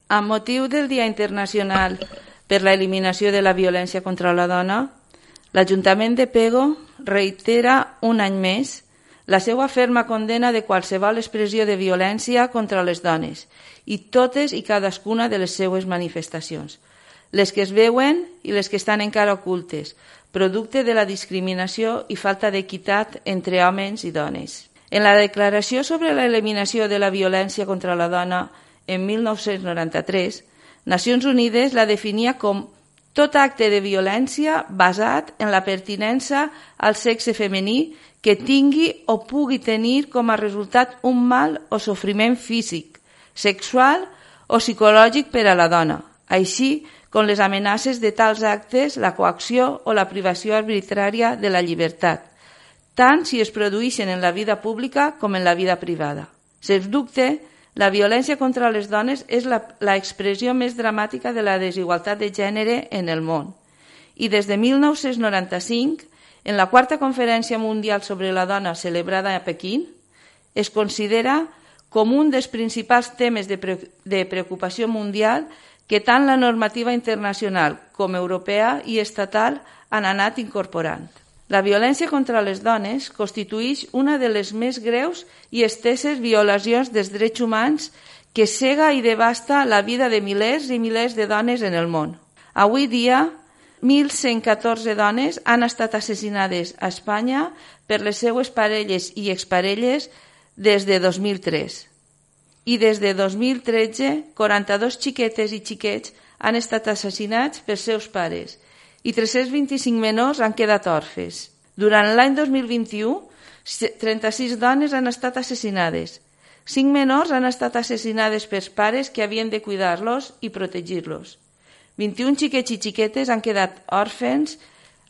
Amb motiu del Dia Internacional per la Eliminació de la Violència contra la Dona, l'Ajuntament de Pego reitera un any més la seva ferma condena de qualsevol expressió de violència contra les dones i totes i cadascuna de les seues manifestacions, les que es veuen i les que estan encara ocultes, producte de la discriminació i falta d'equitat entre homes i dones. En la Declaració sobre l'Eliminació de la Violència contra la Dona en 1993, Nacions Unides la definia com tot acte de violència basat en la pertinença al sexe femení que tingui o pugui tenir com a resultat un mal o sofriment físic, sexual o psicològic per a la dona, així com les amenaces de tals actes, la coacció o la privació arbitrària de la llibertat, tant si es produeixen en la vida pública com en la vida privada. Sens dubte, la violència contra les dones és l'expressió més dramàtica de la desigualtat de gènere en el món. I des de 1995, en la Quarta Conferència Mundial sobre la Dona celebrada a Pequín, es considera com un dels principals temes de preocupació mundial que tant la normativa internacional com europea i estatal han anat incorporant. La violència contra les dones constitueix una de les més greus i esteses violacions dels drets humans que cega i devasta la vida de milers i milers de dones en el món. Avui dia, 1.114 dones han estat assassinades a Espanya per les seues parelles i exparelles des de 2003. I des de 2013, 42 xiquetes i xiquets han estat assassinats pels seus pares i 325 menors han quedat orfes. Durant l'any 2021, 36 dones han estat assassinades. 5 menors han estat assassinades pels pares que havien de cuidar-los i protegir-los. 21 xiquets i xiquetes han quedat òrfens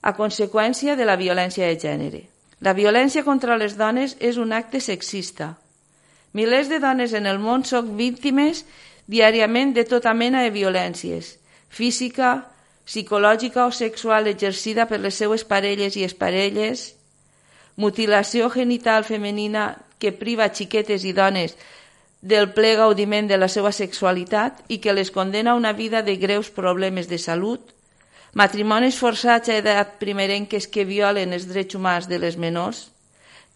a conseqüència de la violència de gènere. La violència contra les dones és un acte sexista. Milers de dones en el món són víctimes diàriament de tota mena de violències, física, psicològica o sexual exercida per les seues parelles i exparelles, mutilació genital femenina que priva xiquetes i dones del ple gaudiment de la seva sexualitat i que les condena a una vida de greus problemes de salut, matrimonis forçats a edat primerenques que violen els drets humans de les menors,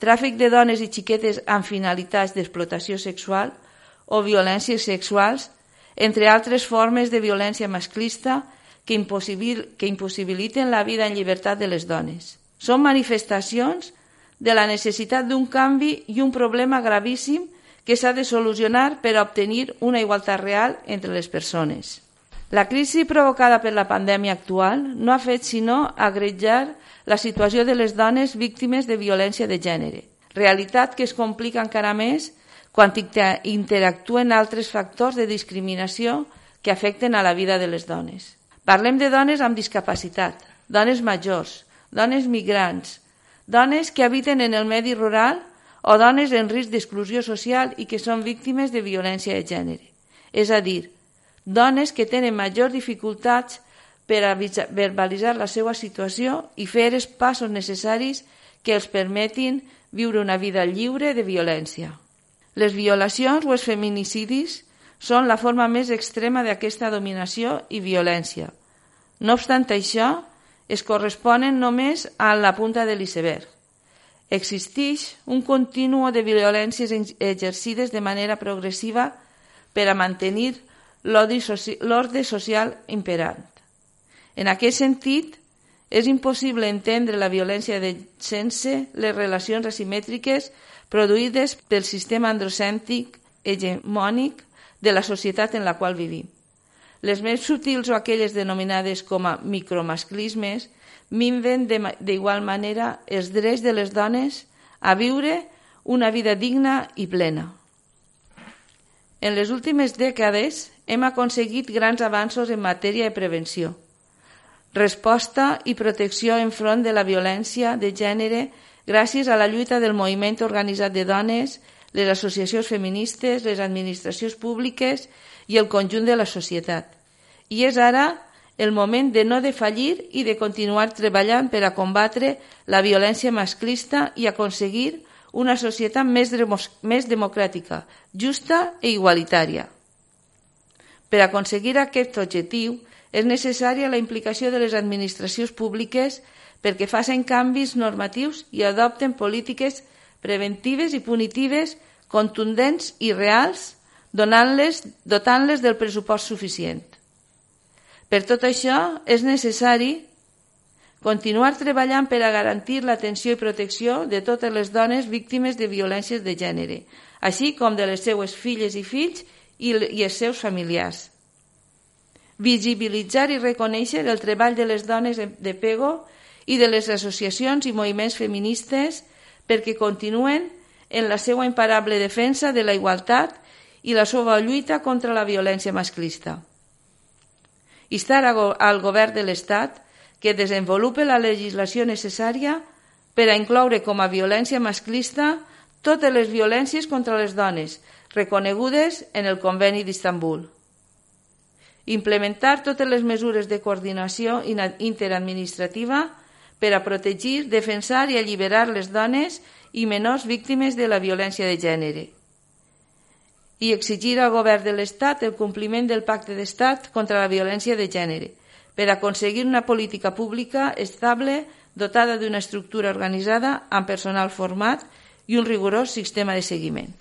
tràfic de dones i xiquetes amb finalitats d'explotació sexual o violències sexuals, entre altres formes de violència masclista que impossibiliten la vida en llibertat de les dones. Són manifestacions de la necessitat d'un canvi i un problema gravíssim que s'ha de solucionar per a obtenir una igualtat real entre les persones. La crisi provocada per la pandèmia actual no ha fet sinó agrejar la situació de les dones víctimes de violència de gènere, realitat que es complica encara més quan interactuen altres factors de discriminació que afecten a la vida de les dones. Parlem de dones amb discapacitat, dones majors, dones migrants, dones que habiten en el medi rural o dones en risc d'exclusió social i que són víctimes de violència de gènere. És a dir, dones que tenen majors dificultats per a verbalitzar la seva situació i fer els passos necessaris que els permetin viure una vida lliure de violència. Les violacions o els feminicidis són la forma més extrema d'aquesta dominació i violència. No obstant això, es corresponen només a la punta de l'iceberg. Existeix un continu de violències exercides de manera progressiva per a mantenir l'ordre social imperant. En aquest sentit, és impossible entendre la violència sense les relacions asimètriques produïdes pel sistema androcèntric hegemònic de la societat en la qual vivim. Les més sutils o aquelles denominades com a micromasclismes minven d'igual manera els drets de les dones a viure una vida digna i plena. En les últimes dècades hem aconseguit grans avanços en matèria de prevenció, resposta i protecció enfront de la violència de gènere gràcies a la lluita del moviment organitzat de dones, les associacions feministes, les administracions públiques i el conjunt de la societat. I és ara el moment de no defallir i de continuar treballant per a combatre la violència masclista i aconseguir una societat més democràtica, justa i igualitària. Per aconseguir aquest objectiu és necessària la implicació de les administracions públiques perquè facin canvis normatius i adopten polítiques preventives i punitives contundents i reals, dotant-les del pressupost suficient. Per tot això, és necessari continuar treballant per a garantir l'atenció i protecció de totes les dones víctimes de violències de gènere, així com de les seues filles i fills i els seus familiars. Visibilitzar i reconèixer el treball de les dones de Pego i de les associacions i moviments feministes perquè continuen en la seva imparable defensa de la igualtat i la seva lluita contra la violència masclista. Instar al Govern de l'Estat que desenvolupe la legislació necessària per a incloure com a violència masclista totes les violències contra les dones reconegudes en el Conveni d'Istanbul. Implementar totes les mesures de coordinació interadministrativa per a protegir, defensar i alliberar les dones i menors víctimes de la violència de gènere. I exigir al Govern de l'Estat el compliment del Pacte d'Estat contra la violència de gènere per aconseguir una política pública estable dotada d'una estructura organitzada amb personal format i un rigorós sistema de seguiment.